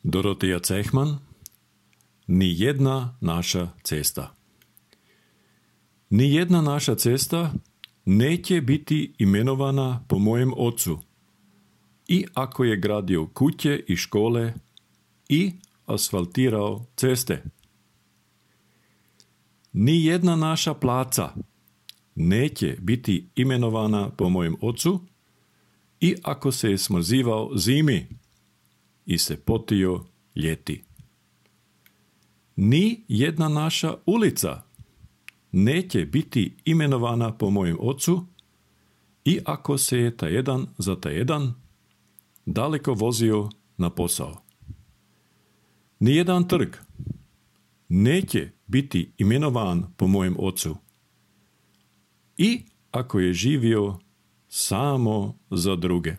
Dorothea Cechman, Ni jedna naša cesta. Ni jedna naša cesta neće biti imenovana po mojem ocu, i ako je gradio kuće i škole i asfaltirao ceste. Ni jedna naša placa neće biti imenovana po mojem ocu, i ako se je smrzivao zimi i se potio ljeti. Ni jedna naša ulica neće biti imenovana po mojem ocu, i ako se je ta jedan za ta jedan daleko vozio na posao. Nijedan trg neće biti imenovan po mojem ocu, i ako je živio samo za druge.